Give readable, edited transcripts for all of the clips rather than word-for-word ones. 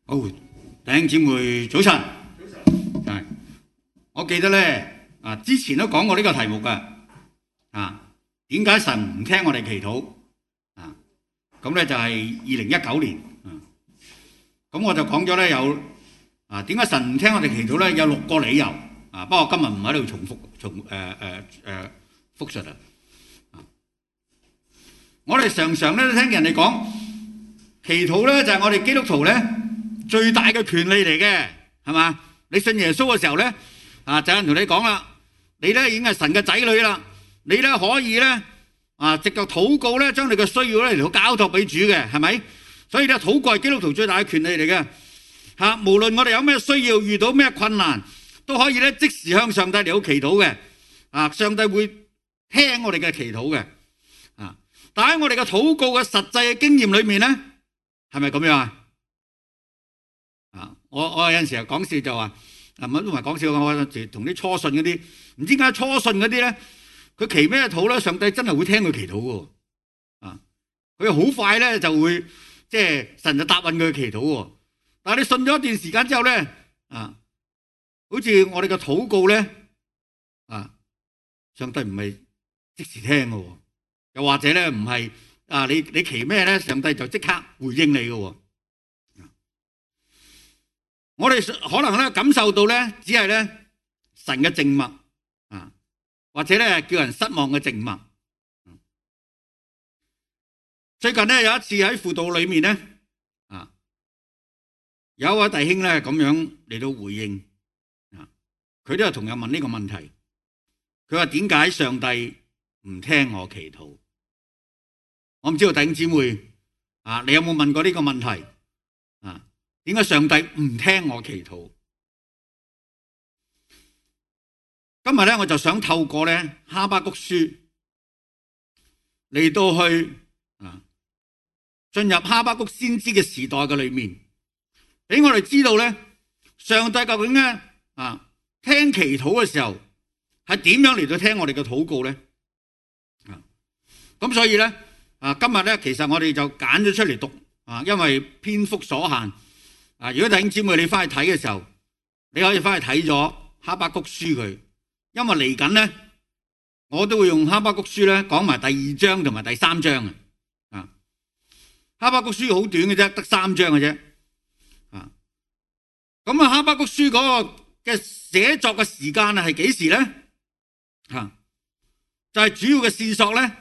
好，弟兄姊妹早晨。係，我記得咧之前都講過呢個題目㗎。點解神唔聽我哋祈禱？咁咧就係2019年。咁我就講咗咧有點解神唔聽我哋祈禱咧？有6個理由。不過今日唔喺度重複複述啦。我哋常常咧都聽人哋講祈禱咧就係我哋基督徒咧最大嘅權利嚟嘅，係嘛？你信耶穌嘅時候咧，就有人同你講啦，你咧已經係神嘅仔女啦，你咧可以咧藉著禱告咧，將你嘅需要咧嚟到交託俾主嘅，係咪？所以咧禱告係基督徒最大嘅權利嚟嘅。無論我哋有咩需要，遇到咩困難，都可以咧即時向上帝嚟到祈禱嘅。上帝會聽我哋嘅祈禱嘅。但喺我哋嘅禱告嘅實際嘅經驗裏面咧，係咪咁樣啊？我有陣時候講笑就話，唔係講笑，我同啲初信嗰啲，唔知點解初信嗰啲咧，佢祈咩禱咧，上帝真係會聽佢祈禱嘅。佢好快咧就會，即係神就答應佢祈禱喎。但係你信咗一段時間之後咧，好似我哋嘅禱告咧，上帝唔係即時聽嘅，又或者咧唔係你祈咩咧，上帝就即刻回應你嘅。我哋可能咧感受到咧，只係咧神嘅靜默，或者咧叫人失望嘅靜默。最近咧有一次喺輔導裏面咧，有一位弟兄咧咁樣嚟到回應，佢都係同樣問呢個問題。佢話點解上帝唔聽我祈禱？我唔知道弟兄姊妹你有冇問過呢個問題？點解上帝唔聽我祈禱？今日咧，我就想透過咧哈巴谷書嚟到去進入哈巴谷先知嘅時代嘅裏面，俾我哋知道咧，上帝究竟咧聽祈禱嘅時候係點樣嚟到聽我哋嘅禱告咧？咁所以咧今日咧，其實我哋就揀咗出嚟讀因為篇幅所限。如果弟兄姊妹你翻去睇嘅時候，你可以翻去睇咗哈巴谷書佢，因為嚟緊咧，我都會用哈巴谷書咧講埋第2章同埋第3章。哈巴谷書好短嘅啫，得3章嘅啫。咁哈巴谷書嗰個嘅寫作嘅時間係幾時咧？就係主要嘅線索咧，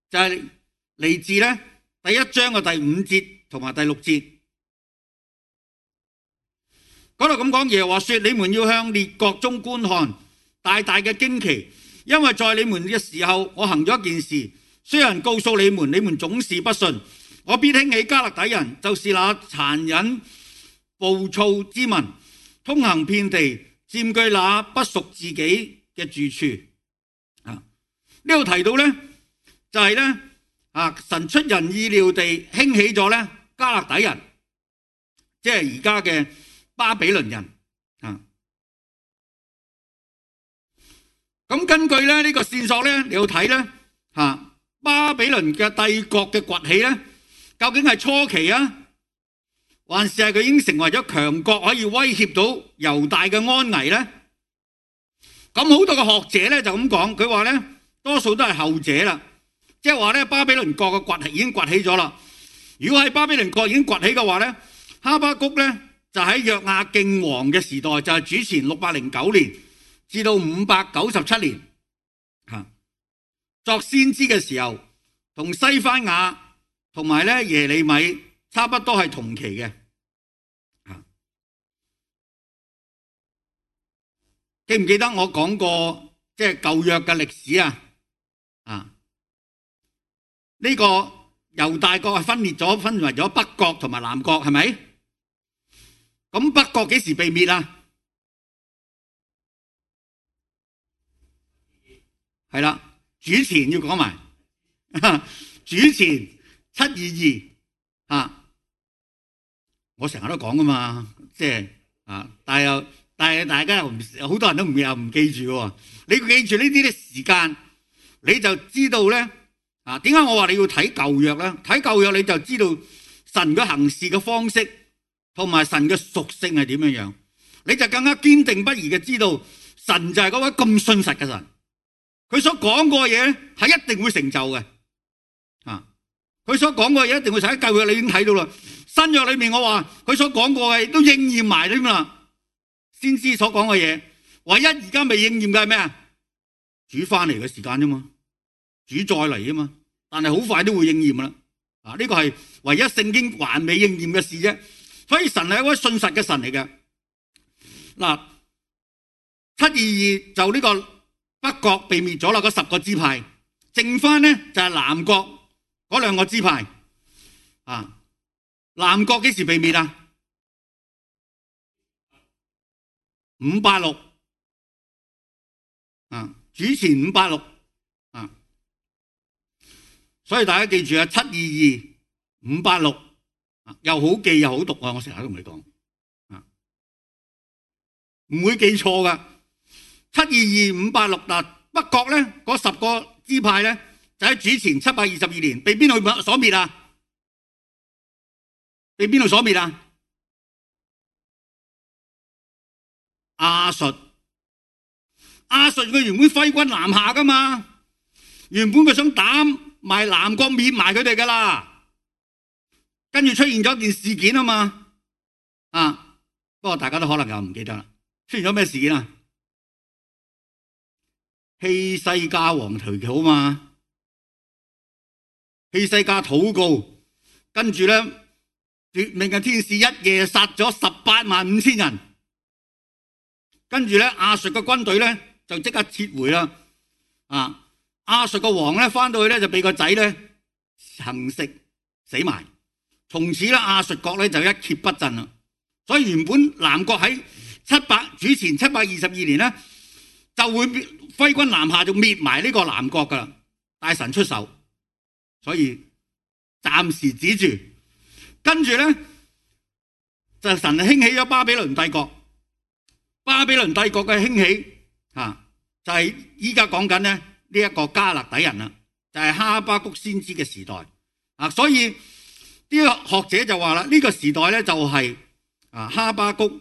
就係嚟自咧第1章嘅第5節同埋第6節。嗰度咁講，耶和華說：你們要向列國中觀看，大大嘅驚奇，因為在你們嘅時候，我行咗一件事。雖然告訴你們，你們總是不信。我必興起迦勒底人，就是那殘忍暴躁之民，通行遍地，佔據那不屬自己嘅住處。呢度提到咧，就係咧神出人意料地興起咗咧迦勒底人，即係而家嘅巴比倫人。咁根據咧呢個線索咧，你要睇咧巴比倫嘅帝國嘅崛起咧，究竟係初期還是係佢已經成為咗強國，可以威脅到猶大嘅安危咧？咁好多嘅學者咧就咁講，佢話咧多數都係後者啦，即係話咧巴比倫國嘅崛起已經崛起咗啦。如果係巴比倫國已經崛起嘅話咧，哈巴谷咧就喺約雅敬王嘅時代，就係主前609年至到597年作先知嘅時候，同西番雅同埋咧耶利米差不多係同期嘅。記唔記得我講過即係舊約嘅歷史呢個猶大國係分為咗北國同埋南國，係咪？咁北國幾時被滅啊？係啦，主前要講埋，主前722我成日都講噶嘛，即係但係大家好多人都唔記住喎。你要記住呢啲時間，你就知道咧點解我話你要睇舊約咧？睇舊約你就知道神嘅行事嘅方式。同埋神嘅屬性係點樣，你就更加堅定不移嘅知道神就係嗰位咁信實嘅神，佢所講過嘅嘢係一定會成就嘅。佢所講過嘅嘢一定會成，喺舊約你已經睇到啦，新約裏面我話佢所講過嘅都應驗埋添啦。先知所講嘅嘢，唯一而家未應驗嘅係咩啊？主翻嚟嘅時間啫嘛，主再嚟啊嘛，但係好快都會應驗啦。呢個係唯一聖經還未應驗嘅事啫。所以神係一位信實嘅神嚟嘅。嗱，722就呢個北國被滅咗啦，嗰10個支派，剩翻呢就係南國嗰2個支派。南國幾時被滅啊？586主前586所以大家記住啊，722、586又好記又好讀啊！我成日都同你講唔會記錯噶。722、586嗱，北國咧嗰10個支派咧就喺主前722年被邊度所滅啊？被邊度所滅啊？亞述。亞述佢原本揮軍南下噶嘛，原本佢想打埋南國滅埋佢哋噶啦，跟住出現咗件事件啊嘛。不過大家都可能又唔記得啦，出現咗咩事件啊？希西家王祈禱嘛，希西家禱告，跟住咧奪命嘅天使一夜殺咗185000人，跟住咧亞述嘅軍隊咧就即刻撤回啦。亞述個王咧翻到去咧就俾個仔咧行食死埋，從此咧亞述國咧就一蹶不振啦。所以原本南國喺主前722年咧就會揮軍南下，就滅埋呢個南國噶啦。大神出手，所以暫時止住。跟住咧就神興起咗巴比倫帝國。巴比倫帝國嘅興起就係依家講緊咧呢一個加勒底人啦，就係哈巴谷先知嘅時代。所以啲學者就話啦，呢個時代咧就係哈巴谷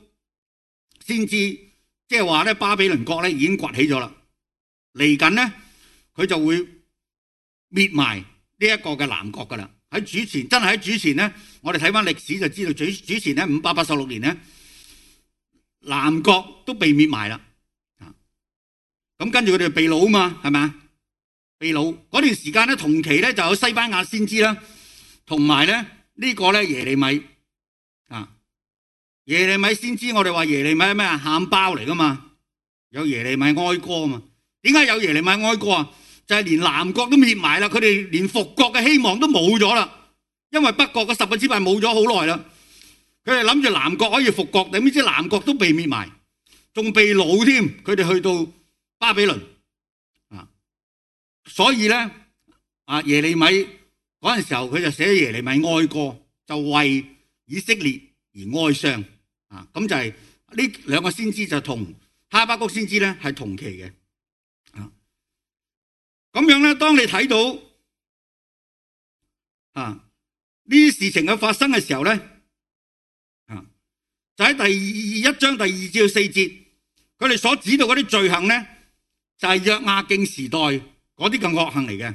先知，即係話咧巴比倫國咧已經崛起咗啦，嚟緊咧佢就會滅埋呢一個嘅南國噶啦。喺主前真係喺主前咧，我哋睇翻歷史就知道主前咧586年咧南國都被滅埋啦。咁跟住佢哋被擄嘛，係咪啊？被擄嗰段時間咧，同期咧就有西班牙先知啦，同埋咧呢個咧耶利米。耶利米先知，我哋話耶利米係咩啊？喊包嚟噶嘛，有耶利米哀歌啊嘛。點解有耶利米哀歌啊？就係連南國都滅埋啦，佢哋連復國嘅希望都冇咗啦，因為北國嘅10個支派冇咗好耐啦。佢哋諗住南國可以復國，點知南國都被滅埋，仲被擄添。佢哋去到巴比倫所以咧耶利米嗰陣時候佢就寫耶利米哀歌，就為以色列而哀傷。咁就係呢2個先知就同哈巴谷先知咧係同期嘅。咁樣咧，當你睇到呢啲事情嘅發生嘅時候咧，就喺第1章第2至4節，佢哋所指到嗰啲罪行咧，就係約雅敬時代嗰啲嘅惡行嚟嘅。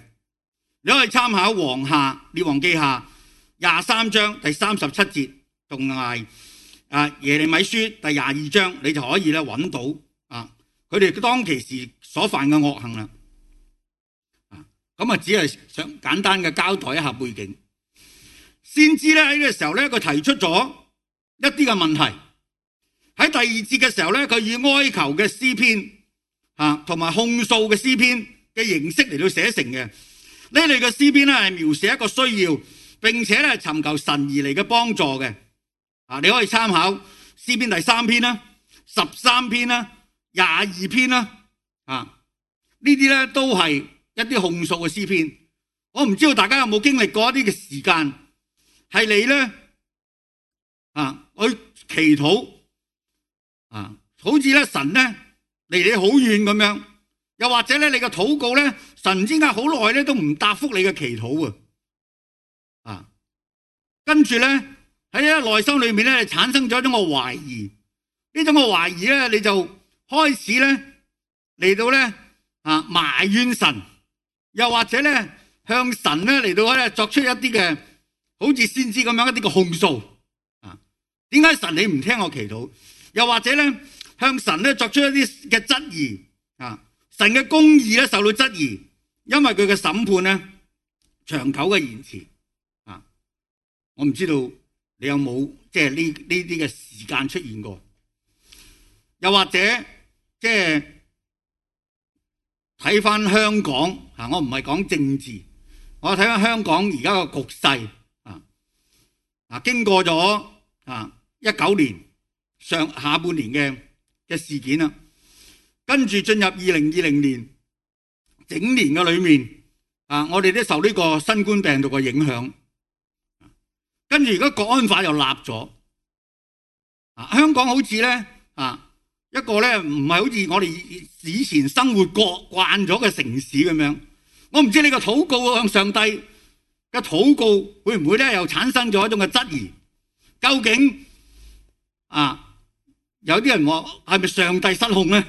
你可以參考列王記下23章第37節，同埋耶利米書第22章，你就可以咧揾到佢哋當其時所犯嘅惡行啦。咁只係想簡單嘅交代一下背景。先知咧喺呢個時候咧，佢提出咗一啲嘅問題。喺第2節嘅時候咧，佢以哀求嘅詩篇同埋控訴嘅詩篇嘅形式嚟到寫成嘅。呢類嘅詩篇咧係描寫一個需要，並且咧尋求神而嚟嘅幫助嘅。你可以參考詩篇第3篇啦、13篇啦、22篇啦。呢啲咧都係一啲控訴嘅詩篇。我唔知道大家有冇經歷過一啲嘅時間，係你咧去祈禱好似咧神咧離你好遠咁樣，又或者咧你嘅禱告咧，神唔知點解好耐咧都唔答覆你嘅祈禱跟住咧喺呢內心裏面咧產生咗一種嘅懷疑，呢種嘅懷疑咧你就開始咧嚟到咧埋怨神，又或者咧向神咧嚟到咧作出一啲嘅好似先知咁樣一啲嘅控訴啊，點解神你唔聽我祈禱？又或者咧向神咧作出一啲嘅質疑啊，神嘅公義咧受到質疑，因為佢嘅審判咧長久嘅延遲啊，我唔知道你有冇即係呢啲嘅時間出現過？又或者即係睇翻香港啊，我唔係講政治，我睇翻香港而家個局勢啊，經過咗19年下半年嘅事件啦，跟住進入2020年整年嘅裏面我哋都受呢個新冠病毒嘅影響，跟住而家國安法又立咗香港好似咧一個咧唔係好似我哋以前生活過慣咗嘅城市咁樣。我唔知你個禱告向上帝嘅禱告會唔會咧又產生咗一種嘅質疑？究竟有啲人話係咪上帝失控咧？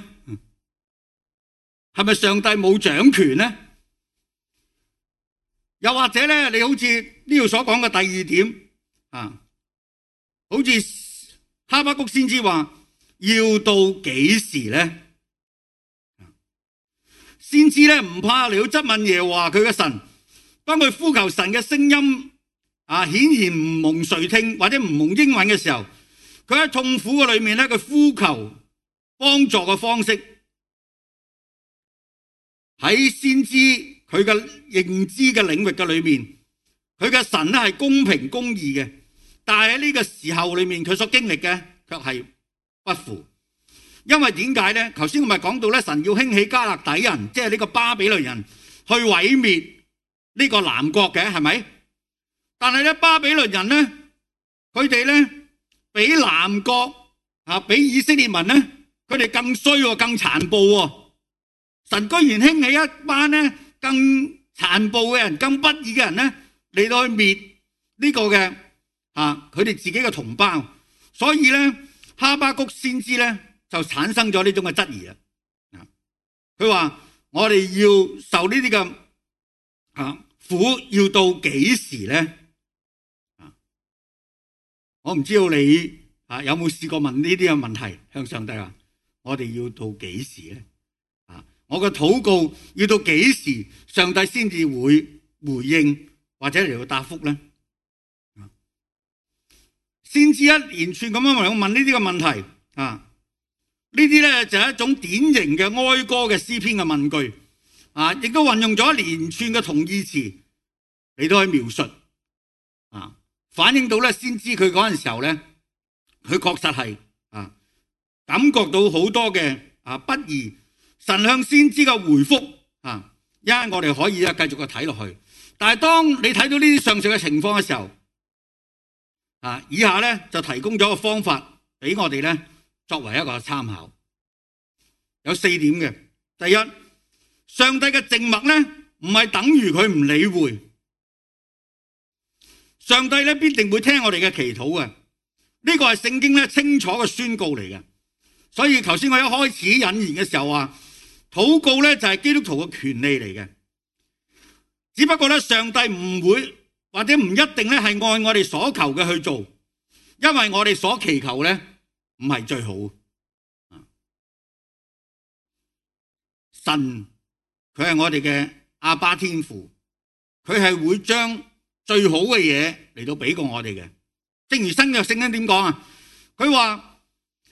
係咪上帝冇掌權咧？又或者咧，你好似呢度所講嘅第二點好似哈巴谷先知話要到幾時咧？先知咧唔怕嚟到質問耶和華佢嘅神，當佢呼求神嘅聲音顯然唔蒙垂聽或者唔蒙應允嘅時候，佢喺痛苦嘅裏面咧，佢呼求幫助嘅方式喺先知佢嘅認知嘅領域嘅裏面，佢嘅神咧係公平公義嘅，但係喺呢個時候裏面佢所經歷嘅卻係不符。因為點解咧？頭先我咪講到咧，神要興起迦勒底人，即係呢個巴比倫人去毀滅呢個南國嘅，係咪？但係咧巴比倫人咧，佢哋咧比南國比以色列民咧，佢哋更衰喎，更殘暴喎。神居然興起一班咧更殘暴嘅人、更不義嘅人咧嚟到去滅呢個嘅佢哋自己嘅同胞。所以咧哈巴谷先知咧就產生咗呢種嘅質疑啦。佢話我哋要受呢啲嘅苦要到幾時咧？我唔知道你有冇試過問呢啲嘅問題向上帝話我哋要到幾時咧？我嘅禱告要到幾時上帝先至會回應或者嚟到答覆咧？先知一連串咁樣嚟問呢啲嘅問題呢啲咧就係一種典型嘅哀歌嘅詩篇嘅問句亦都運用咗一連串嘅同義詞嚟到去描述反映到咧先知佢嗰陣時候咧，佢確實係感覺到好多嘅不義。神向先知嘅回覆一陣我哋可以繼續去睇落去。但係當你睇到呢啲上述嘅情況嘅時候以下咧就提供咗個方法俾我哋咧作為一個參考，有4點嘅。第一，上帝嘅靜默咧唔係等於佢唔理會，上帝咧必定會聽我哋嘅祈禱嘅，呢個係聖經咧清楚嘅宣告嚟嘅。所以頭先我一開始引言嘅時候話，禱告咧就係基督徒嘅權利嚟嘅，只不過咧上帝唔會或者唔一定咧係按我哋所求嘅去做，因為我哋所祈求咧唔係最好。神佢係我哋嘅阿爸天父，佢係會將最好嘅嘢嚟到俾過我哋嘅。正如新約聖經點講佢話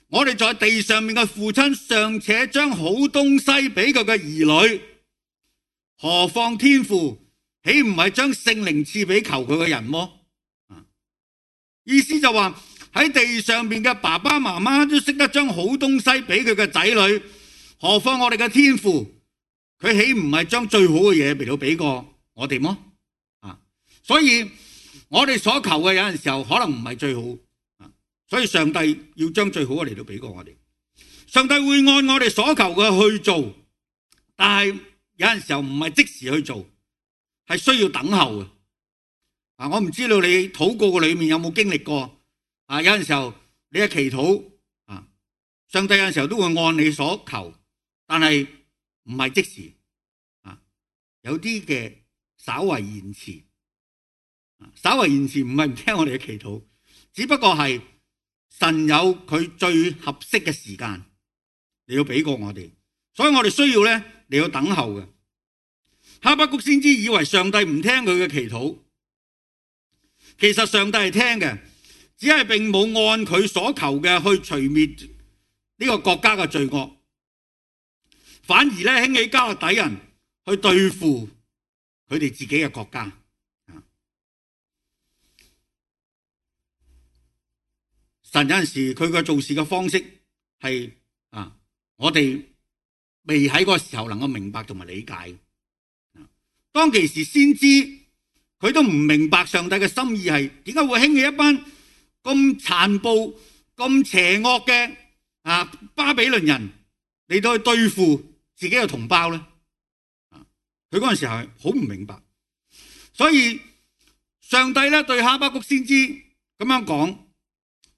我哋在地上面嘅父親尚且將好東西俾佢嘅兒女，何況天父豈唔係將聖靈賜俾求佢嘅人麼？意思就話喺地上面嘅爸爸媽媽都識得將好東西俾佢嘅仔女，何況我哋嘅天父，佢豈唔係將最好嘅嘢嚟到俾過我哋麼？所以我哋所求嘅有陣時候可能唔係最好。所以上帝要將最好嘅嚟到俾過我哋，上帝會按我哋所求嘅去做，但係有陣時候唔係即時去做，係需要等候嘅。我唔知道你禱告嘅裏面有冇經歷過有陣時候你嘅祈禱上帝有陣時候都會按你所求，但係唔係即時有啲嘅稍為延遲。稍為延遲唔係唔聽我哋嘅祈禱，只不過係神有佢最合適嘅時間你要俾過我哋，所以我哋需要咧你要等候嘅。哈巴谷先知以為上帝唔聽佢嘅祈禱，其實上帝係聽嘅，只係並冇按佢所求嘅去除滅呢個國家嘅罪惡，反而咧興起迦勒底人去對付佢哋自己嘅國家。神有陣時佢嘅做事嘅方式係我哋未喺嗰個時候能夠明白同埋理解。當其時先知佢都唔明白上帝嘅心意係點解會興起一班咁殘暴、咁邪惡嘅巴比倫人嚟到去對付自己嘅同胞咧。佢嗰陣時係好唔明白，所以上帝咧對哈巴谷先知咁樣講。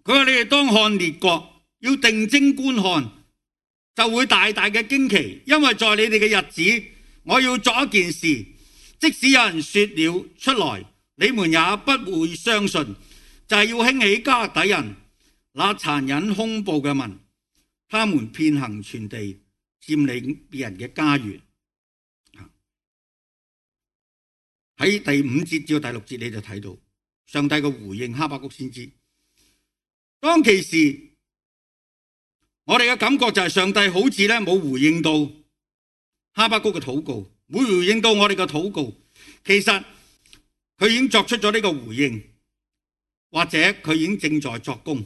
佢話你哋當看列國，要定睛觀看，就會大大嘅驚奇，因為在你哋嘅日子，我要作一件事，即使有人說了出來，你們也不會相信，就係要興起迦勒底人，那殘忍兇暴嘅民，他們遍行全地，佔領別人嘅家園。喺第5節至到第6節你就睇到上帝嘅回應哈巴谷先知。當其時我哋嘅感覺就係上帝好似咧冇回應到哈巴谷嘅禱告，冇回應到我哋嘅禱告。其實佢已經作出咗呢個回應，或者佢已經正在作工，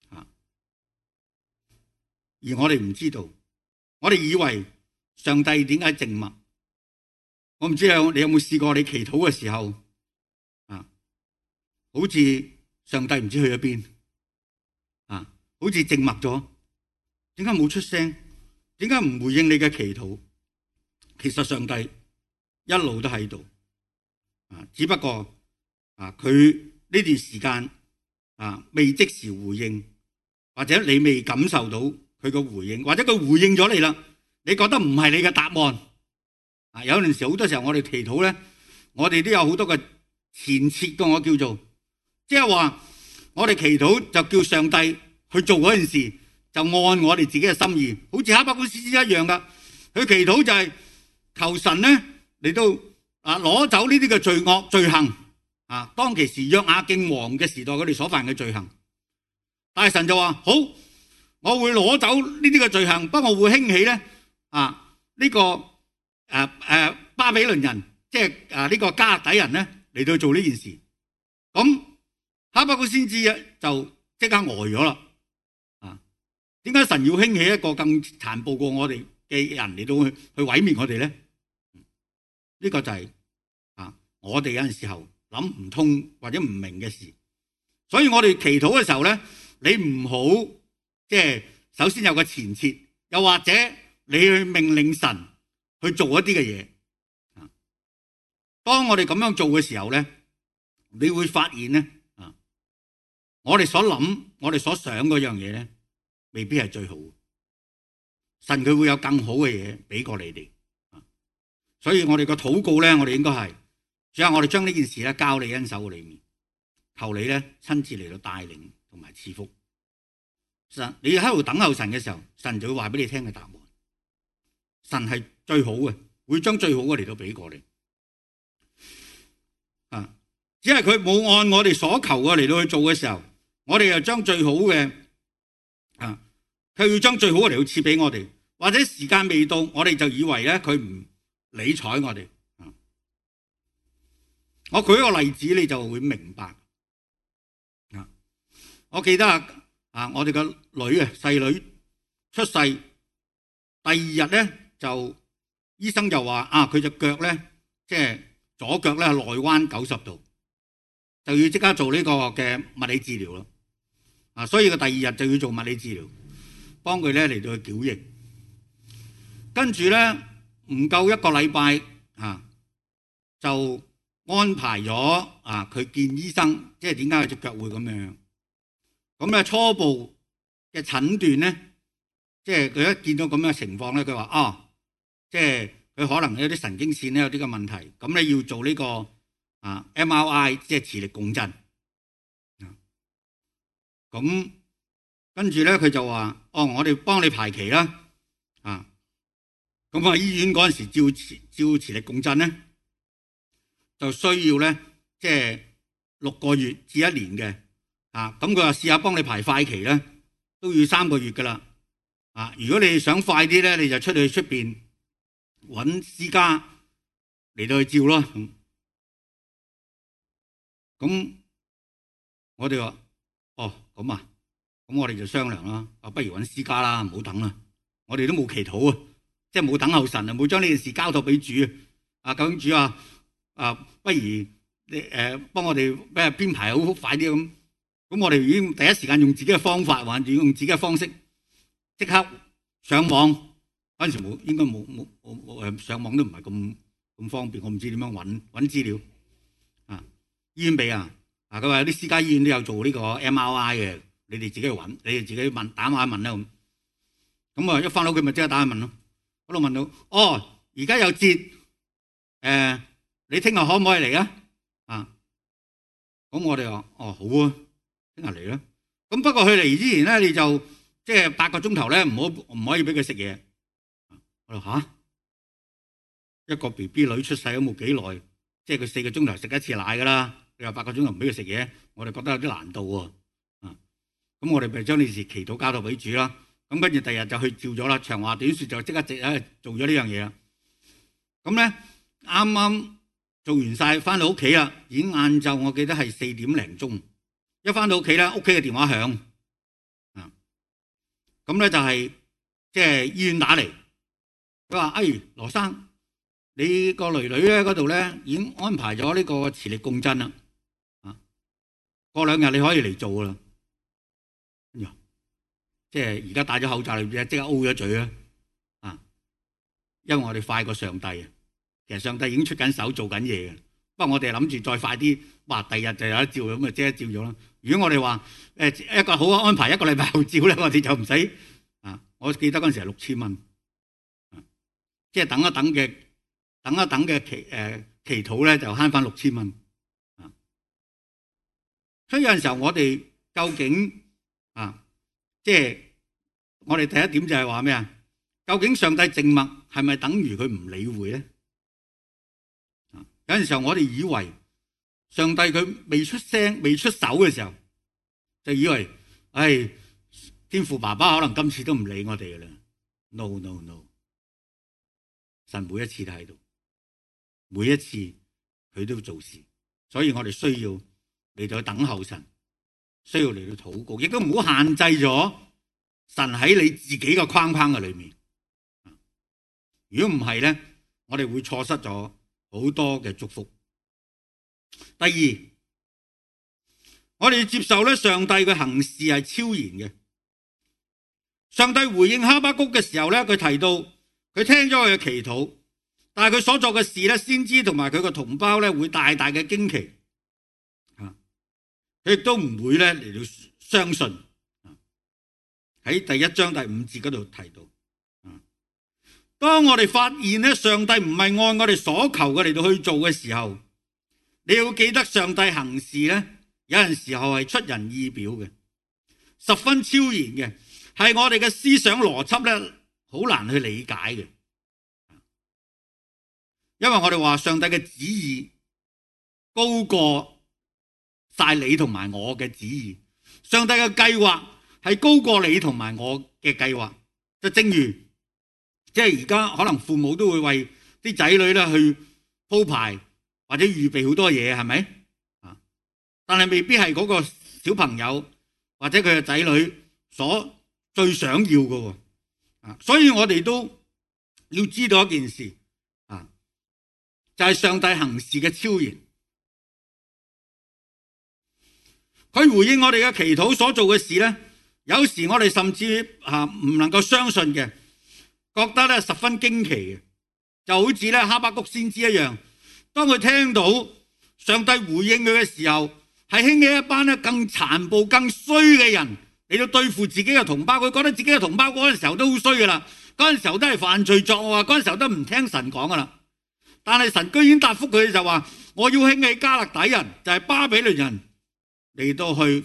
而我哋唔知道，我哋以為上帝點解靜默？我唔知你有冇試過你祈禱嘅時候好似上帝唔知去咗邊。好似靜默咗，點解冇出聲？點解唔回應你嘅祈禱？其實上帝一路都喺度，只不過佢呢段時間未即時回應，或者你未感受到佢嘅回應，或者佢回應咗你啦，你覺得唔係你嘅答案。有陣時好多時候我哋祈禱咧，我哋都有好多嘅前設嘅，我叫做即係話我哋祈禱就叫上帝去做嗰件事，就按我哋自己嘅心意，好似哈巴谷先知一樣噶。佢祈禱就係求神咧嚟到攞走呢啲嘅罪惡罪行當其時約雅敬王嘅時代佢哋所犯嘅罪行。但係神就話好，我會攞走呢啲嘅罪行，不過我會興起咧呢個巴比倫人，即係呢個迦勒底人咧嚟到做呢件事。咁哈巴谷先知就即刻呆咗啦。點解神要興起一個更殘暴過我哋嘅人嚟到去毀滅我哋咧？呢個就係我哋有陣時候諗唔通或者唔明嘅事。所以我哋祈禱嘅時候咧，你唔好即係首先有個前設，又或者你去命令神去做一啲嘅嘢。當我哋咁樣做嘅時候咧，你會發現咧我哋所諗我哋所想嗰樣嘢咧，未必係最好，神佢會有更好嘅嘢俾過你哋，所以我哋個禱告咧，我哋應該係，主啊，我哋將呢件事咧交你恩手嘅裏面，求你咧親自嚟到帶領同埋賜福。神，你喺度等候神嘅時候，神就會話俾你聽嘅答案。神係最好嘅，會將最好嘅嚟到俾過你。只係佢冇按我哋所求嘅嚟到去做嘅時候，我哋又將最好嘅。佢要將最好嘅嚟到賜俾我哋，或者時間未到，我哋就以為咧佢唔理睬我哋。我舉一個例子，你就會明白。我記得我哋個女細女出世第二日咧，就醫生就話佢隻腳咧，即係左腳咧內彎90度，就要即刻做呢個嘅物理治療咯。所以個第二日就要做物理治療，幫佢咧嚟到去矯形。跟住咧唔夠一個禮拜就安排咗佢見醫生，即係點解佢隻腳會咁樣？咁咧初步嘅診斷咧，即係佢一見到咁樣嘅情況咧，佢話即係佢可能有啲神經線咧有啲嘅問題，咁咧要做呢個MRI， 即係磁力共振。咁跟住咧佢就話我哋幫你排期啦。咁醫院嗰陣時照磁力共振咧，就需要咧即係6個月至1年嘅。咁佢話試下幫你排快期咧，都要3個月噶啦。如果你想快啲咧，你就出去出邊揾私家嚟到去照咯。咁我哋話咁啊，咁我哋就商量啦。不如揾私家啦，唔好等啦。我哋都冇祈禱啊，即係冇等候神啊，冇將呢件事交託俾主啊。究竟主不如你幫我哋編排好快啲咁。咁我哋已經第一時間用自己嘅方法，或者用自己嘅方式，即刻上網。嗰陣時應該冇上網都唔係咁方便，我唔知點樣揾資料。醫院俾佢話有啲私家醫院都有做呢個 MRI 嘅，你哋自己去揾，你哋自己問打下問啦咁。咁一翻到屋企咪即刻打下問咯。嗰度問到而家有節，你聽日可唔可以嚟啊？咁我哋話好啊，聽日嚟啦。咁不過佢嚟之前咧，你就即係8個鐘頭咧，唔可以俾佢食嘢。我話一個 BB 女出世都冇幾耐，即係佢4個鐘頭食一次奶噶啦。你話8個鐘頭唔俾佢食嘢，我哋覺得有啲難度喎。咁我哋咪將呢事祈禱交託俾主啦。咁跟住第二日就去照咗啦。長話短説就即刻做咗呢樣嘢啦。咁咧啱啱做完晒，翻到屋企啦，已經晏晝，我記得係4點零鐘。一翻到屋企咧，屋企嘅電話響。咁咧就係即係醫院打嚟，佢話：羅生，你個女女咧嗰度咧已經安排咗呢個磁力共振啦。過2日你可以嚟做啦。即係而家戴咗口罩，你即刻 O 咗嘴啦。因為我哋快過上帝，其實上帝已經出緊手做緊嘢嘅。不過我哋諗住再快啲，第日就有得照咁啊，即刻照咗啦。如果我哋話一個好安排1個禮拜後照咧，我哋就唔使我記得嗰陣時係6000蚊，即係等一等嘅祈禱咧，就慳翻6000蚊。所以有陣時候我哋究竟即係我哋第一點就係話咩啊？究竟上帝靜默係咪等於佢唔理會咧？有陣時候我哋以為上帝佢未出聲未出手嘅時候，就以為天父爸爸可能今次都唔理我哋嘅啦。No， 神每一次都喺度，每一次佢都做事，所以我哋需要嚟到等候神，需要嚟到禱告，亦都唔好限制咗神喺你自己嘅框框嘅裏面。如果唔係咧，我哋會錯失咗好多嘅祝福。第二，我哋要接受咧上帝嘅行事係超然嘅。上帝回應哈巴谷嘅時候咧，佢提到佢聽咗佢嘅祈禱，但係佢所做嘅事咧，先知同埋佢個同胞咧會大大嘅驚奇，佢亦都唔會咧嚟到相信。喺第1章第5節嗰度提到，當我哋發現咧上帝唔係按我哋所求嘅嚟到去做嘅時候，你要記得上帝行事咧，有陣時候係出人意表嘅，十分超然嘅，係我哋嘅思想邏輯咧好難去理解嘅。因為我哋話上帝嘅旨意高過晒你同埋我嘅旨意，上帝嘅計劃係高過你同埋我嘅計劃。就正如即係而家可能父母都會為啲仔女咧去鋪排或者預備好多嘢，係咪？但係未必係嗰個小朋友或者佢嘅仔女所最想要嘅。所以我哋都要知道一件事，就係上帝行事嘅超然。佢回應我哋嘅祈禱所做嘅事咧，有時我哋甚至唔能夠相信嘅，覺得咧十分驚奇嘅，就好似咧哈巴谷先知一樣。當佢聽到上帝回應佢嘅時候，係興起一班咧更殘暴、更衰嘅人嚟到對付自己嘅同胞。佢覺得自己嘅同胞嗰陣時候都好衰噶啦，嗰陣時候都係犯罪作惡，嗰陣時候都唔聽神講噶啦。但係神居然答覆佢就話：我要興起加勒底人，就係巴比倫人嚟到去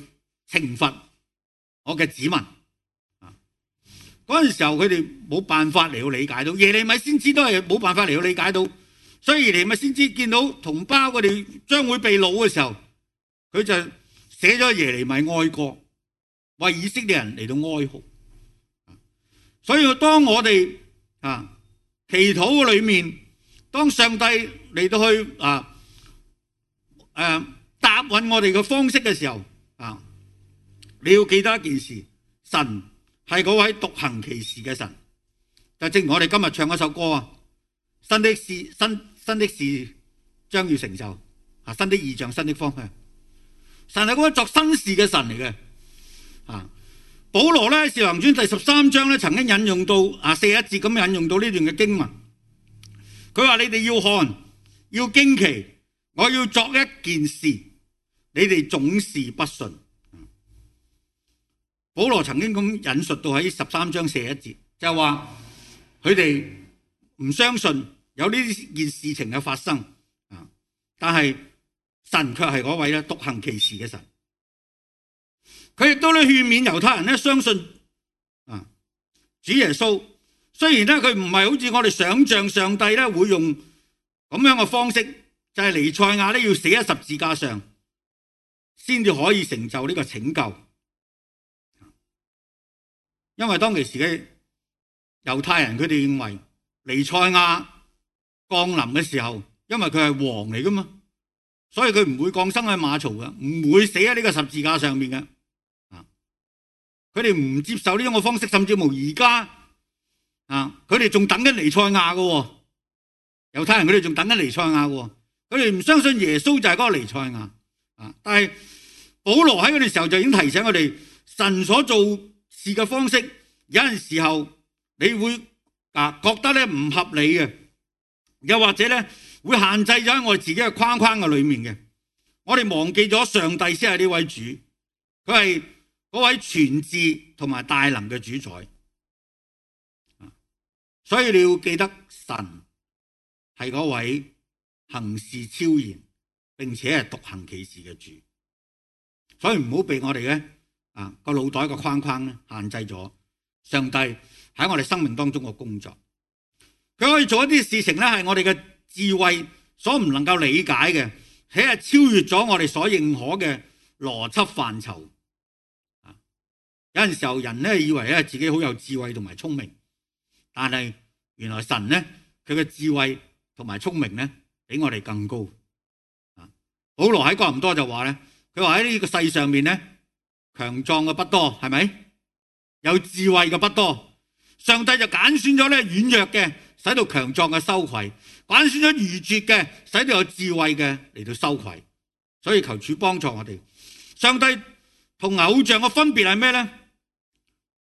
懲罰我嘅子民。嗰陣時候佢哋冇辦法嚟到理解到，耶利米先知都係冇辦法嚟到理解到，所以耶利米先知見到同胞佢哋將會被擄嘅時候，佢就寫咗耶利米哀歌，為以色列人嚟到哀號。所以當我哋祈禱裏面，當上帝嚟到去答允我哋嘅方式嘅時候，你要記得一件事，神係嗰位獨行其事嘅神。就正如我哋今日唱嗰首歌新的事將要成就，新的異象，新的方向。神係嗰位作新事嘅神嚟嘅。保羅咧《使徒行傳》第13章咧曾經引用到41節咁引用到呢段嘅經文。佢話：你哋要看，要驚奇，我要作一件事，你哋總是不信。保羅曾經咁引述到喺13章41節，就係話佢哋唔相信有呢件事情嘅發生。但係神卻係嗰位咧獨行其事嘅神。佢亦都咧勸勉猶太人咧相信主耶穌。雖然咧佢唔係好似我哋想象上帝咧會用咁樣嘅方式，就係彌賽亞咧要死喺十字架上，先至可以成就呢個拯救。因為當其時嘅猶太人佢哋認為彌賽亞降臨嘅時候，因為佢係王嚟噶嘛，所以佢唔會降生喺馬槽嘅，唔會死喺呢個十字架上面嘅。佢哋唔接受呢種嘅方式，甚至乎而家佢哋仲等緊彌賽亞嘅。猶太人佢哋仲等緊彌賽亞嘅，佢哋唔相信耶穌就係嗰個彌賽亞。但係保羅喺嗰陣時候就已經提醒我哋，神所做事嘅方式有陣時候你會覺得咧唔合理嘅，又或者咧會限制咗喺我哋自己嘅框框嘅裏面嘅。我哋忘記咗上帝先係呢位主，佢係嗰位全智同埋大能嘅主宰。所以你要記得神係嗰位行事超然並且係獨行其事嘅主。所以唔好被我哋嘅個腦袋個框框咧限制咗上帝喺我哋生命當中嘅工作。佢可以做一啲事情咧係我哋嘅智慧所唔能夠理解嘅，且係超越咗我哋所認可嘅邏輯範疇。有陣時候人咧以為咧自己好有智慧同埋聰明，但係原來神咧佢嘅智慧同埋聰明咧比我哋更高。保羅喺哥林多就話咧，佢話喺呢個世上面咧強壯嘅不多，係咪？有智慧嘅不多，上帝就揀選咗咧軟弱嘅，使到強壯嘅羞愧；揀選咗愚拙嘅，使到有智慧嘅嚟到羞愧。所以求主幫助我哋。上帝同偶像嘅分別係咩咧？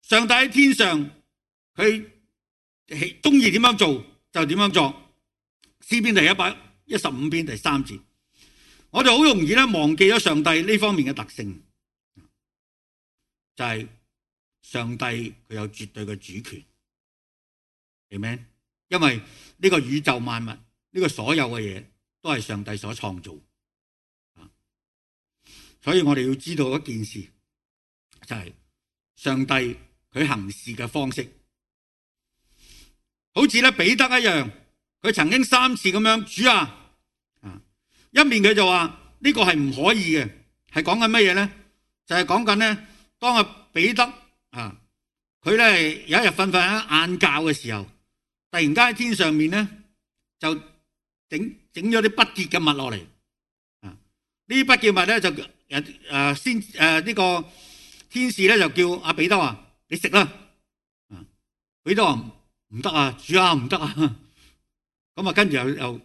上帝喺天上，佢中意點樣做就點樣做。詩篇第115篇第3節，我哋好容易咧忘記咗上帝呢方面嘅特性，就係上帝佢有絕對嘅主權，明唔明？因為呢個宇宙萬物，呢個所有嘅嘢都係上帝所創造，所以我哋要知道一件事，就係上帝佢行事嘅方式，好似咧彼得一樣，佢曾經3次咁樣，主啊，一面佢就話呢個係唔可以嘅，係講緊乜嘢咧？就係講緊咧，當彼得佢咧有一日瞓喺晏覺嘅時候，突然間喺天上面咧就整咗啲不潔嘅物落嚟，呢啲不潔物咧就呢個天使咧就叫阿彼得話：你食啦！彼得話唔得啊，主啊，唔得啊！咁跟住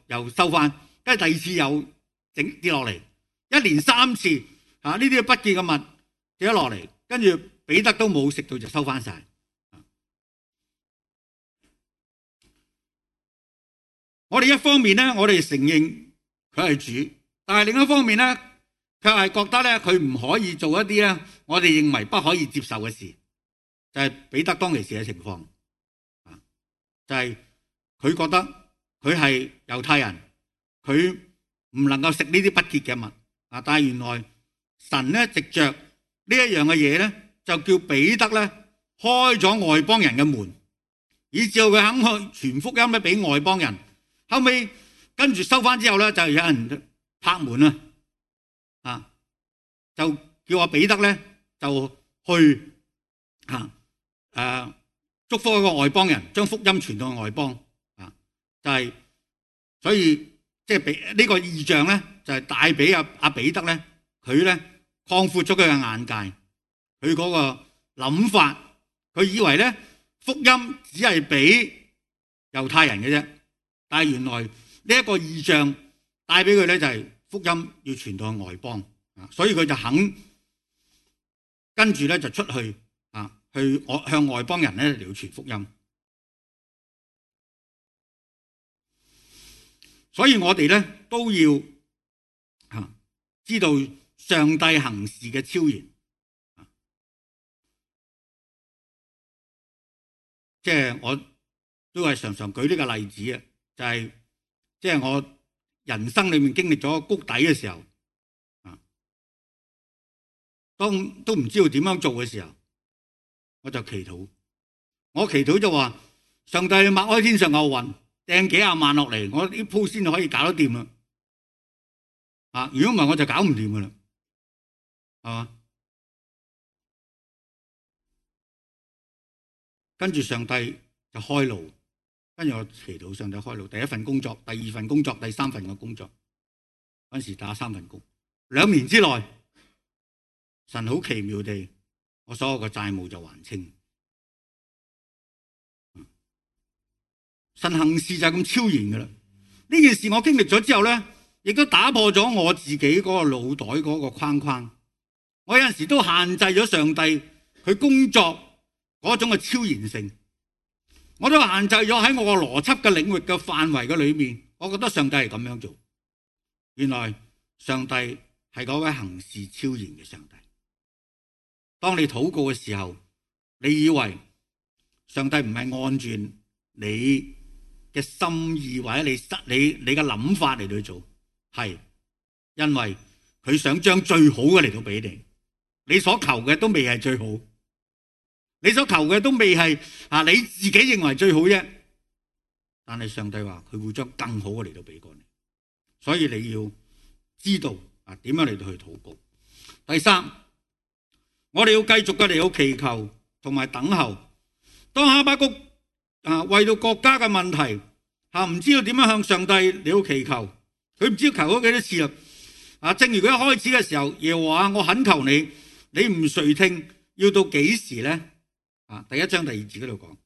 又收翻，跟住第二次又跌落嚟，一連3次呢啲不潔嘅物跌咗落嚟，跟住彼得都冇食到就收翻晒。我哋一方面咧，我哋承認佢係主，但係另一方面咧，卻係覺得咧佢唔可以做一啲咧我哋認為不可以接受嘅事，就係彼得當其時嘅情況，就係佢覺得佢係猶太人，佢唔能夠食呢啲不潔嘅物啊！但係原來神咧藉着呢一樣嘅嘢咧，就叫彼得咧開咗外邦人嘅門，以至佢肯去傳福音咧俾外邦人。後尾跟住收翻之後咧，就有人拍門啊，就叫阿彼得咧就去祝福一個外邦人，將福音傳到外邦啊，就係所以即係俾呢個異象咧，就係帶俾阿彼得咧，佢咧擴闊咗佢嘅眼界，佢嗰個諗法，佢以為咧福音只係俾猶太人嘅啫，但係原來呢一個異象帶俾佢咧就係福音要傳到外邦啊，所以佢就肯跟住咧就出去去向外邦人咧嚟傳福音。所以我哋咧都要知道上帝行事嘅超然，即係我都係常常舉呢個例子啊，就係即係我人生裏面經歷咗谷底嘅時候，當都唔知道點樣做嘅時候，我就祈禱。我祈禱就話：上帝擘開天上嘅雲，掟幾廿萬落嚟，我呢鋪先可以搞得掂啦。如果唔係我就搞唔掂噶啦，係嘛？跟住上帝就開路，跟住我祈禱上帝開路。第一份工作，第二份工作，第三份嘅工作，嗰陣時打3份工，2年之內，神好奇妙地，我所有嘅債務就還清。神行事就係咁超然噶啦。呢件事我經歷咗之後咧，亦都打破咗我自己嗰個腦袋嗰個框框。我有陣時都限制咗上帝佢工作嗰種嘅超然性，我都限制咗喺我個邏輯嘅領域嘅範圍嘅裏面。我覺得上帝係咁樣做，原來上帝係嗰位行事超然嘅上帝。當你禱告嘅時候，你以為上帝唔係按住你嘅心意或者你嘅諗法嚟到做，係因為佢想將最好嘅嚟到俾你。你所求嘅都未係最好，你所求嘅都未係你自己認為最好啫。但係上帝話佢會將更好嘅嚟到俾過你，所以你要知道點樣嚟到去禱告。第三，我哋要繼續嘅嚟到祈求同埋等候。當哈巴谷為到國家嘅問題唔知道點樣向上帝嚟到祈求，佢唔知道求咗幾多次啦。正如佢一開始嘅時候，耶和華我懇求你，你唔垂聽，要到幾時呢？第1章第2節嗰度講，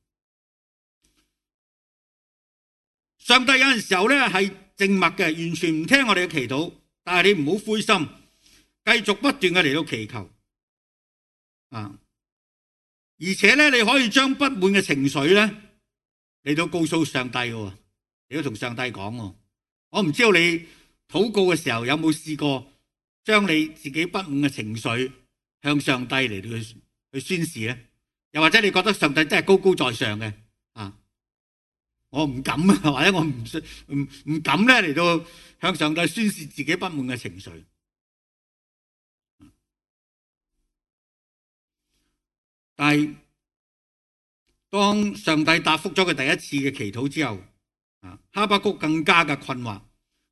上帝有陣時候咧係靜默嘅，完全唔聽我哋嘅祈禱，但係你唔好灰心，繼續不斷嘅嚟到祈求而且咧你可以將不滿嘅情緒咧嚟到告訴上帝嘅，你要同上帝講。我唔知道你禱告嘅時候有冇試過將你自己不滿嘅情緒向上帝嚟到去宣示咧？又或者你覺得上帝真係高高在上嘅我唔敢或者我唔敢咧嚟到向上帝宣示自己不滿嘅情緒。但係當上帝答覆咗佢第一次嘅祈禱之後，哈巴谷更加嘅困惑，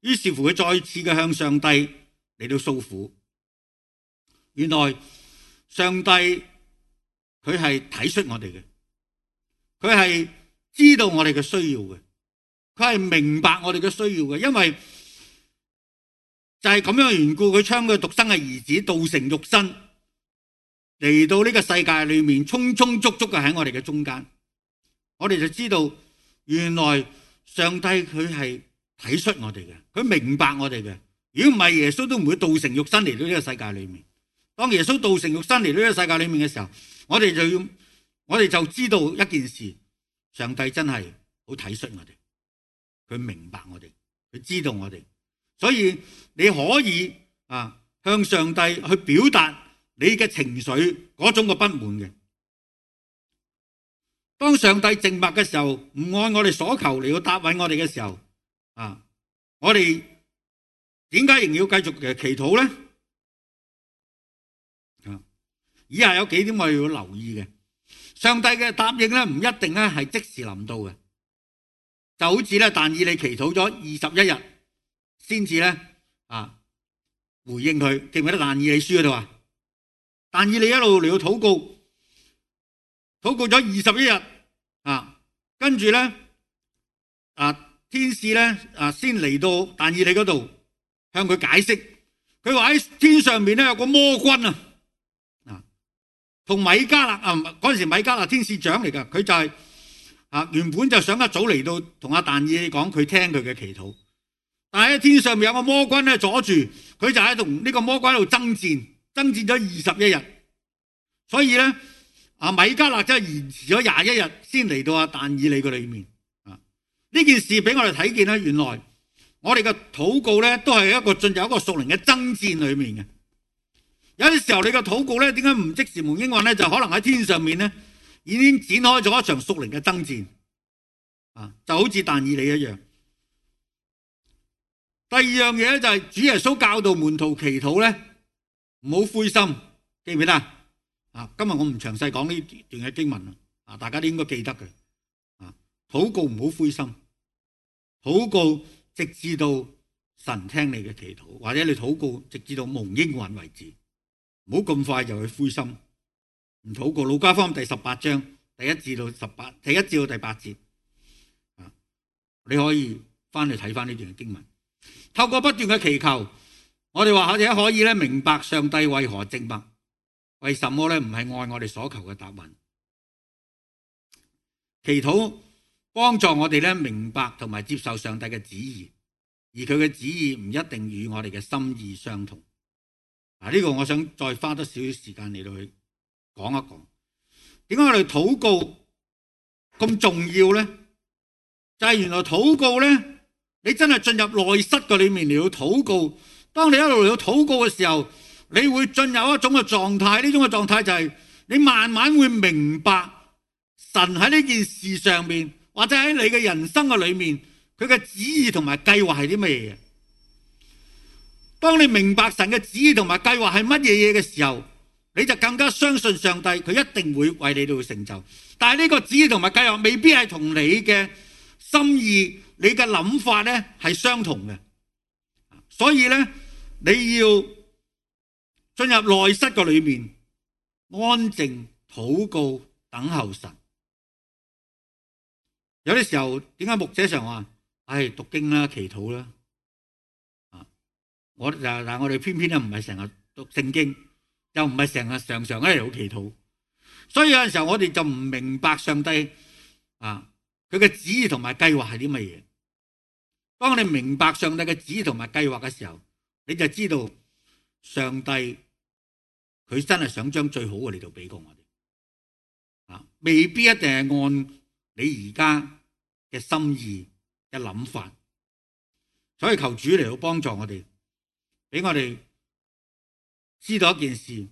於是乎佢再次嘅向上帝嚟到訴苦。原來上帝佢係體恤我哋嘅，佢係知道我哋嘅需要嘅，佢係明白我哋嘅需要嘅，因為就係咁樣嘅緣故，佢將佢獨生嘅兒子道成肉身嚟到呢個世界裏面，充充足足嘅喺我哋嘅中間，我哋就知道原來上帝佢係體恤我哋嘅，佢明白我哋嘅。如果唔係，耶穌都唔會道成肉身嚟到呢個世界裏面。當耶穌道成肉身嚟到呢個世界裏面嘅時候，我哋就知道一件事，上帝真係好體恤我哋，佢明白我哋，佢知道我哋，所以你可以向上帝去表達你嘅情緒嗰種嘅不滿嘅。當上帝靜默嘅時候，唔按我哋所求嚟到答應我哋嘅時候，我哋點解仍要繼續祈禱呢？以下有幾點我哋要留意嘅。上帝嘅答應咧，唔一定咧係即時臨到嘅，就好似咧但以理祈禱咗21日先至咧回應佢。記唔記得但以理書嗰度啊？但以理一路嚟到禱告咗21日跟住咧天使咧先嚟到但以理嗰度向佢解釋。佢話喺天上面咧有個魔君同米迦勒嗰陣時米迦勒天使長嚟噶，佢就係原本就想一早嚟到同但以理講，佢聽佢嘅祈禱。但係喺天上面有個魔君咧阻住，佢就喺同呢個魔君喺度爭戰咗21日。所以咧米迦勒真係延遲咗21日先嚟到但以理嘅裏面。呢件事俾我哋睇見咧，原來我哋嘅禱告咧都係一個進入一個屬靈嘅爭戰裏面嘅。有啲時候你嘅禱告咧，點解唔即時蒙應允咧？就可能喺天上面咧已經展開咗一場屬靈嘅爭戰就好似但以理一樣。第二樣嘢咧就係主耶穌教導門徒祈禱咧，唔好灰心，記唔記得今日我唔詳細講呢段嘅經文大家都應該記得嘅。禱告唔好灰心，禱告直至到神聽你嘅祈禱，或者你禱告直至到蒙應允為止，唔好咁快就去灰心唔禱告。路加福音第18章第1至到第8節你可以翻去睇翻呢段經文。透過不斷嘅祈求，我哋或者可以咧明白上帝為何靜默，為什麼咧唔係按我哋所求嘅答案。祈禱幫助我哋咧明白同埋接受上帝嘅旨意，而佢嘅旨意唔一定與我哋嘅心意相同。呢個我想再花多少少時間嚟到去講一講，點解我哋禱告咁重要呢？就係原來禱告呢，你真係進入內室嘅裏面嚟到禱告。當你一路嚟到禱告嘅時候，你會進入一種嘅狀態，呢種嘅狀態就係你慢慢會明白神喺呢件事上面，或者喺你嘅人生嘅裏面，佢嘅旨意同埋計劃係啲乜嘢。當你明白神嘅旨意同埋計劃係乜嘢嘢嘅時候，你就更加相信上帝，佢一定會為你哋成就。但係呢個旨意同埋計劃未必係同你嘅心意、你嘅諗法咧係相同嘅。所以咧，你要進入內室嘅裏面，安靜禱告，等候神。有啲時候，點解牧者常話，讀經啦，祈禱啦。但我哋偏偏咧唔係成日讀聖經，又唔係常常喺度祈禱，所以有陣時候我哋就唔明白上帝佢嘅旨意同埋計劃係啲乜嘢。當你明白上帝嘅旨意同埋計劃嘅時候，你就知道上帝佢真係想將最好嘅嚟到俾過我哋，未必一定係按你而家嘅心意嘅諗法。所以求主嚟到幫助我哋，俾我哋知道一件事，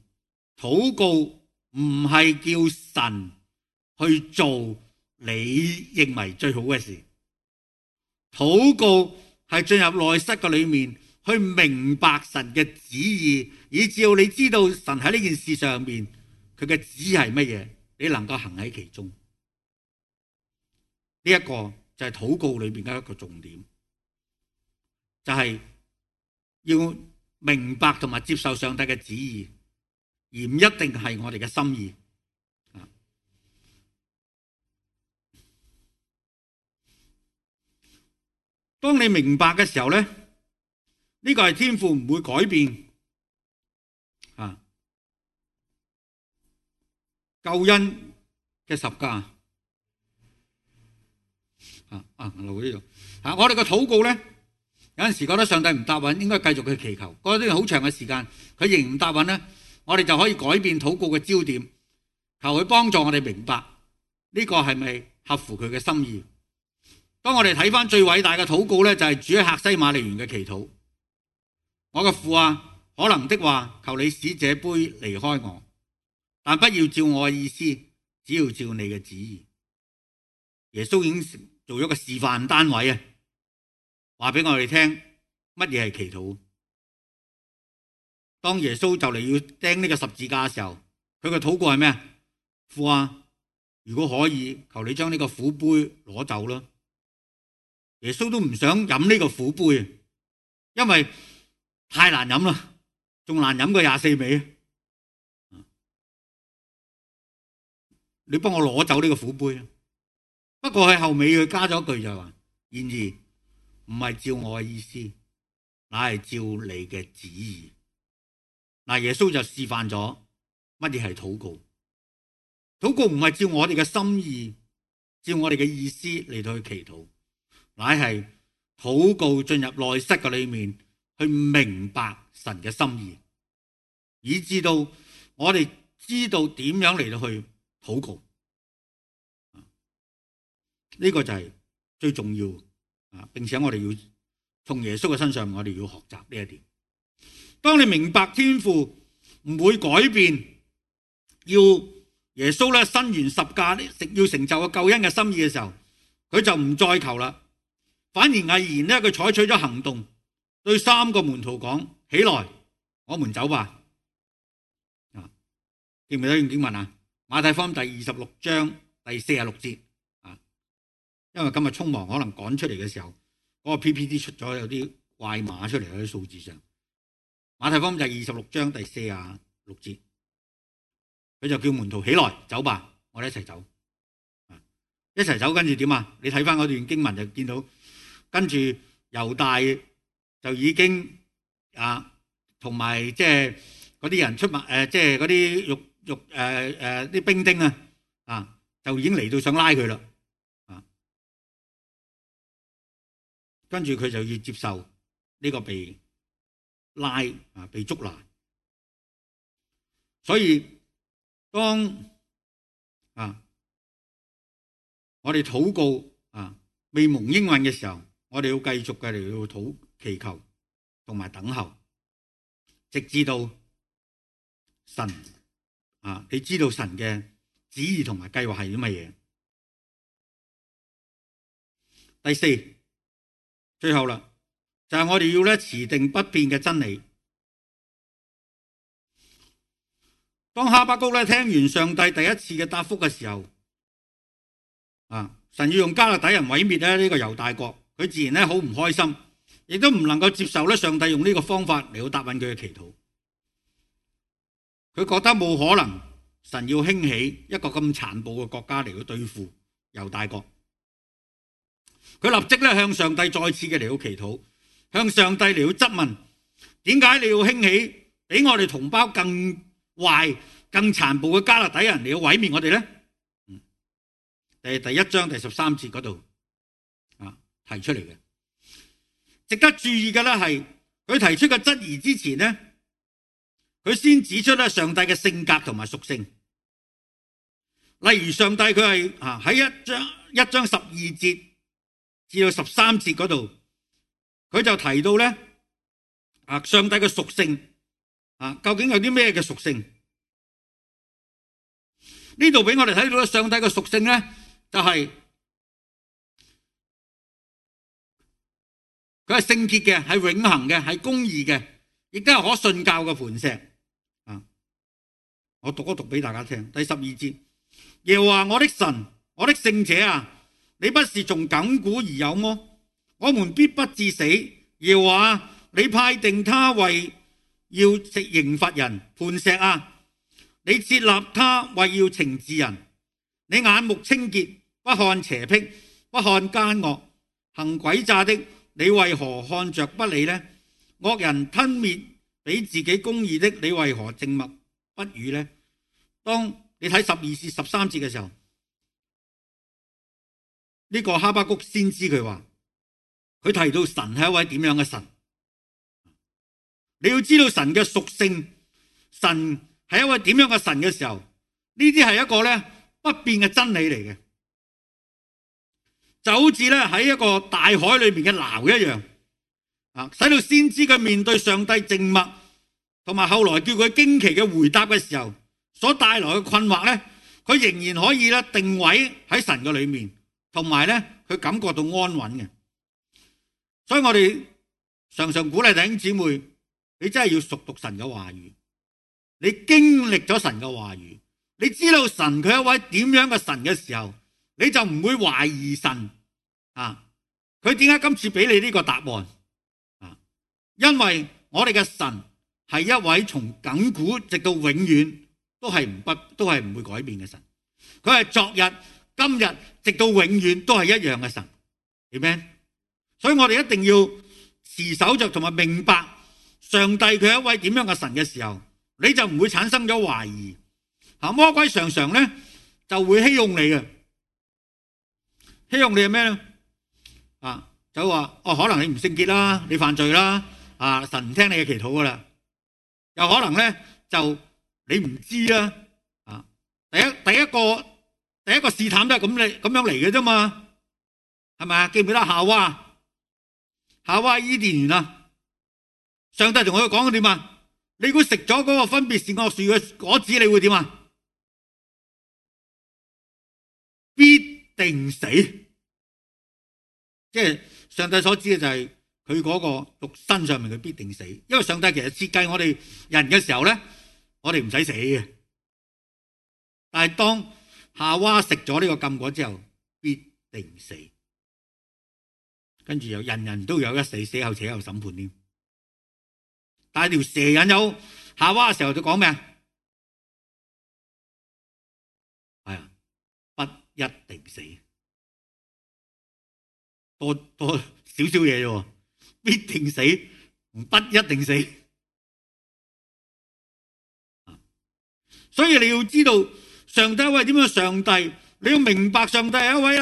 禱告唔係叫神去做你認為最好嘅事，禱告係進入內室嘅裏面去明白神嘅旨意，以至到你知道神喺呢件事上面佢嘅旨意係乜嘢，你能夠行喺其中。呢一個就係禱告裏面嘅一個重點，就係要明白同埋接受上帝嘅旨意，而唔一定係我哋嘅心意。當你明白嘅時候咧，呢個係天父唔會改變救恩嘅十架。留喺呢度。我哋嘅禱告咧，有陣時覺得上帝唔答允，應該繼續去祈求。過咗段好長嘅時間，佢仍然唔答允咧，我哋就可以改變禱告嘅焦點，求佢幫助我哋明白呢個係咪合乎佢嘅心意。當我哋睇翻最偉大嘅禱告咧，就係主喺客西馬尼園嘅祈禱。我嘅父啊，可能的話，求你使這杯離開我，但不要照我嘅意思，只要照你嘅旨意。耶穌已經做咗個示範單位啊，話俾我哋聽乜嘢係祈禱。當耶穌就嚟要釘呢個十字架嘅時候，佢嘅禱告係咩啊？父啊，如果可以，求你將呢個苦杯攞走啦。耶穌都唔想飲呢個苦杯，因為太難飲啦，仲難飲過24味。你幫我攞走呢個苦杯。不過喺後尾佢加咗一句就係話，然而唔係照我嘅意思，乃係照你嘅旨意。嗱，耶穌就示範咗乜嘢係禱告。禱告唔係照我哋嘅心意，照我哋嘅意思嚟到去祈禱，乃係禱告進入內室嘅裏面，去明白神嘅心意，以至到我哋知道點樣嚟到去禱告。呢個就係最重要啊！並且我哋要從耶穌嘅身上，我哋要學習呢一點。當你明白天父唔會改變，要耶穌咧伸完十架要成就個救恩嘅心意嘅時候，佢就唔再求啦，反而毅然咧佢採取咗行動，對3個門徒講：起來，我們走吧。記唔記得段經文啊？馬太福音第26章第46節啊，因為今日匆忙，可能趕出嚟嘅時候，嗰個 PPT 出咗有啲怪碼出嚟喺啲數字上。馬太福音26章第46節，佢就叫門徒起來走吧，我哋一齊走，一齊走，跟住點啊？你睇翻嗰段經文就見到，跟住猶大就已經同埋即係嗰啲人出賣即係嗰啲啲兵丁就已經嚟到想拉佢啦，跟住佢就要接受呢個被拉被捉拿。所以當我哋禱告未蒙應允嘅時候，我哋要繼續嘅嚟到祈求同埋等候，直至到神你知道神嘅旨意同埋計劃係啲乜嘢。第4，最後啦，就係我哋要持定不變嘅真理。當哈巴谷聽完上帝第一次嘅答覆嘅時候，神要用迦勒底人毀滅呢個猶大國，佢自然好唔開心，亦都唔能夠接受上帝用呢個方法嚟到答應佢嘅祈禱。佢覺得冇可能神要興起一個咁殘暴嘅國家嚟到對付猶大國。佢立即向上帝再次嘅嚟到祈禱，向上帝嚟到質問：點解你要興起比我哋同胞更壞、更殘暴嘅迦勒底人嚟到毀滅我哋呢？第1章第13節嗰度提出嚟嘅。值得注意嘅係，佢提出嘅質疑之前呢，佢先指出上帝嘅性格同埋屬性。例如上帝佢係喺1章12節至到13節嗰度，佢就提到上帝嘅屬性究竟有啲咩嘅屬性？呢度俾我哋睇到上帝嘅屬性就係佢係聖潔嘅，係永恆嘅，係公義嘅，亦都係可信教嘅磐石。我讀一讀俾大家聽。第12節，耶和華我的神，我的聖者啊，你不是從亙古而有麼？我們必不致死。耶和華，你派定他為要刑罰人，磐石啊，你設立他為要懲治人。你眼目清潔，不看邪僻，不看奸惡，行詭詐的，你為何看着不理呢？惡人吞滅比自己公義的，你為何靜默不語呢？當你睇12至13節嘅時候，呢個哈巴谷先知佢話，佢提到神係一位點樣嘅神。你要知道神嘅屬性，神係一位點樣嘅神嘅時候，呢啲係一個不變嘅真理嚟嘅，就好似喺一個大海裏面嘅錨一樣，使到先知佢面對上帝靜默，同埋後來叫佢驚奇嘅回答嘅時候，所帶來嘅困惑咧，佢仍然可以咧定位喺神嘅裏面，同埋咧佢感覺到安穩嘅。所以我哋常常鼓勵弟兄姊妹，你真係要熟讀神嘅話語，你經歷咗神嘅話語，你知道神佢係一位點樣嘅神嘅時候，你就唔會懷疑神啊。佢點解今次俾你呢個答案啊？因為我哋嘅神係一位從亙古直到永遠都係唔會改變嘅神。佢係昨日、今日直到永遠都係一樣嘅神。Amen。所以我哋一定要持守着同埋明白上帝佢係一位點樣嘅神嘅時候，你就唔會產生咗懷疑。魔鬼常常咧就會欺哄你嘅，欺哄你係咩咧？就話可能你唔聖潔啦，你犯罪啦，神唔聽你嘅祈禱噶啦。又可能咧就你唔知啦，第一個試探都係咁樣嚟嘅啫嘛，係咪啊？記唔記得夏娃伊甸園啊？上帝同佢講點啊？你如果食咗嗰個分別善惡樹嘅果子，你會點啊？必定死。即係上帝所知嘅就係佢嗰個肉身上面佢必定死，因為上帝其實設計我哋人嘅時候咧，我哋唔使死嘅。但係當夏娃食咗呢個禁果之後，必定死。跟住又人人都有一死，死後且有審判添。但係條蛇引誘夏娃嘅時候就講咩啊？係啊，不一定死。多少少嘢啫，必定死，不一定死。所以你要知道上帝係一位點樣上帝，你要明白上帝係一位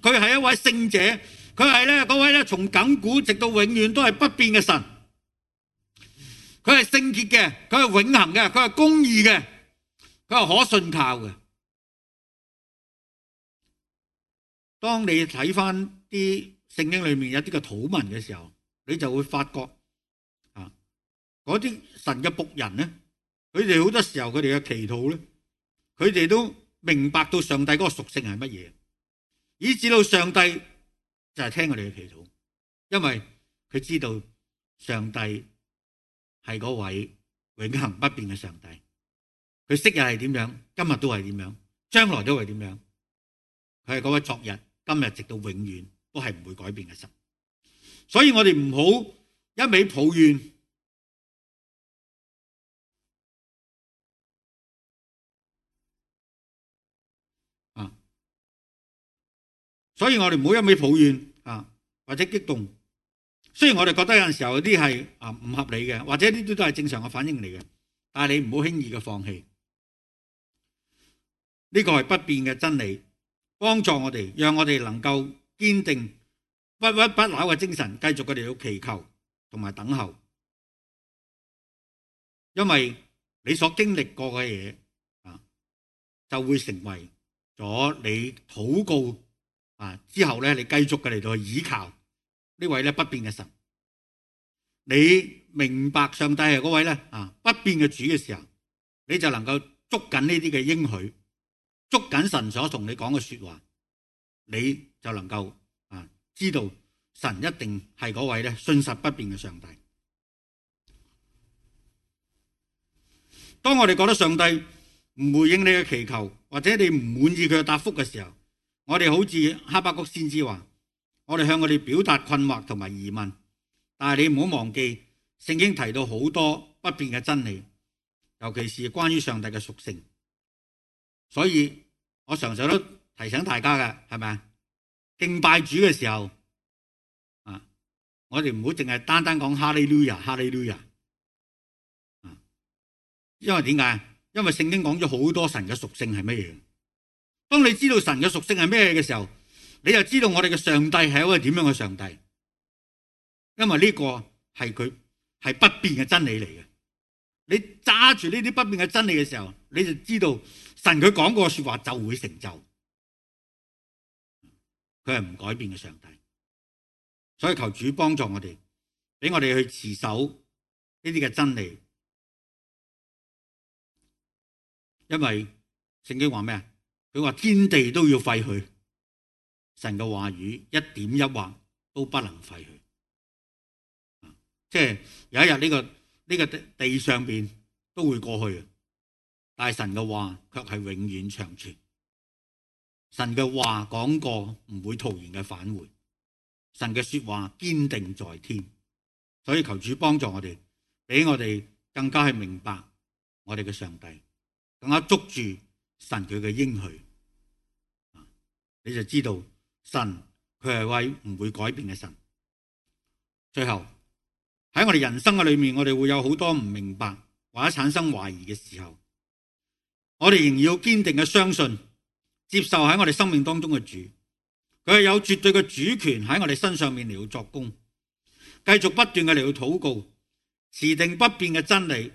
佢係一位聖者，佢係咧嗰位咧從亙古直到永遠都係不變嘅神。佢係聖潔嘅，佢係永恆嘅，佢係公義嘅，佢係可信靠嘅。當你睇翻啲聖經裏面有啲嘅禱文嘅時候，你就會發覺嗰啲神嘅僕人咧，佢哋好多時候佢哋嘅祈禱咧，佢哋都明白到上帝嗰個屬性係乜嘢，以至到上帝就係聽佢哋嘅祈禱，因為佢知道上帝係嗰位永恆不變嘅上帝，佢昔日係點樣，今日都係點樣，將來都係點樣，佢係嗰位昨日、今日直到永遠都係唔會改變嘅神。所以我哋唔好一味抱怨，所以我哋唔好一味抱怨或者激動。雖然我哋覺得有陣時候有啲係唔合理嘅，或者呢啲都係正常嘅反應嚟嘅，但係你唔好輕易嘅放棄。呢個係不變嘅真理，幫助我哋，讓我哋能夠堅定不屈不撓嘅精神，繼續佢哋要祈求同埋等候。因為你所經歷過嘅嘢就會成為咗你禱告之後咧，你繼續嘅嚟到去倚靠呢位咧不變嘅神。你明白上帝係嗰位咧不變嘅主嘅時候，你就能夠捉緊呢啲嘅應許，捉緊神所同你講嘅說話，你就能夠知道神一定係嗰位咧信實不變嘅上帝。當我哋覺得上帝唔回應你嘅祈求，或者你唔滿意佢嘅答覆嘅時候，我哋好似哈巴谷先知話，我哋向我哋表達困惑同埋疑問，但係你唔好忘記聖經提到好多不變嘅真理，尤其是關於上帝嘅屬性。所以我常常都提醒大家嘅，係咪啊？敬拜主嘅時候我哋唔好淨係單單講哈利路亞哈利路亞，因為點解？因為聖經講咗好多神嘅屬性係乜嘢。當你知道神嘅屬性係咩嘅時候，你就知道我哋嘅上帝係一位點樣嘅上帝。因為呢個係佢係不變嘅真理嚟嘅。你揸住呢啲不變嘅真理嘅時候，你就知道神佢講過嘅說話就會成就。佢係唔改變嘅上帝。所以求主幫助我哋，俾我哋去持守呢啲嘅真理，因為聖經話咩啊？佢話天地都要廢去，神嘅話語一點一畫都不能廢去。即係有一日呢個地上邊都會過去，但係神嘅話卻係永遠長存。神嘅話講過唔會徒然嘅返回，神嘅說話堅定在天。所以求主幫助我哋，俾我哋更加係明白我哋嘅上帝，更加捉住神佢嘅應許，你就知道神佢係位唔會改變嘅神。最後喺我哋人生嘅裏面，我哋會有好多唔明白或者產生懷疑嘅時候，我哋仍然要堅定嘅相信，接受喺我哋生命當中嘅主，佢係有絕對嘅主權喺我哋身上面嚟到作工，繼續不斷嘅嚟到禱告，持定不變嘅真理。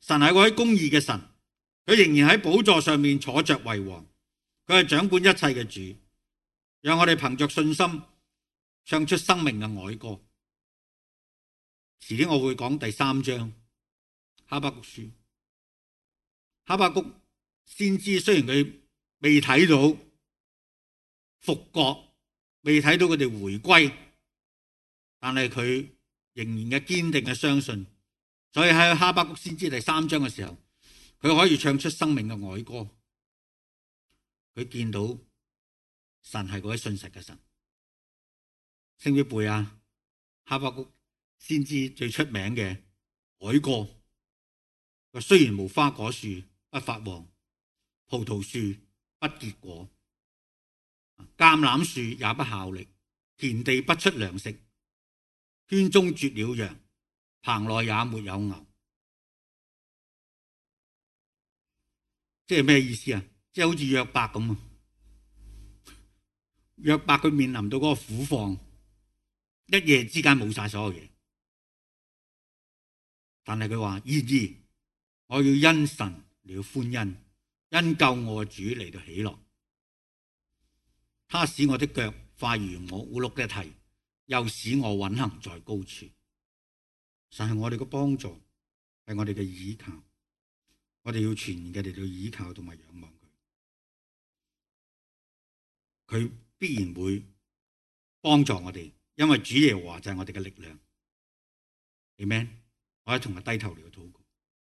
神係嗰位公義嘅神，佢仍然喺寶座上面坐着為王，佢係掌管一切嘅主。讓我哋憑着信心唱出生命嘅哀歌。遲啲我會講第3章哈巴谷書。哈巴谷先知雖然佢未睇到復國，未睇到佢哋回歸，但係佢仍然嘅堅定嘅相信，所以喺哈巴谷先知第3章嘅時候，佢可以唱出生命嘅哀歌。佢見到神係嗰位信實嘅神。識唔識背啊？哈巴谷先知最出名嘅哀歌，佢雖然無花果樹不發旺，葡萄樹不結果，橄欖樹也不效力，田地不出糧食，圈中絕了羊，棚內也沒有牛。即係咩意思啊？即係好似約伯咁啊！約伯佢面臨到嗰個苦況，一夜之間冇晒所有嘢，但係佢話：然而我要因神嚟歡欣，因救我主嚟到喜樂。他使我的腳快如我烏碌嘅蹄，又使我穩行在高處。神係我哋嘅幫助，係我哋嘅倚靠，我哋要全然嘅嚟到倚靠同埋仰望佢，佢必然會幫助我哋，因為主耶和華就係我哋嘅力量。Amen。我哋同佢低頭嚟到禱告。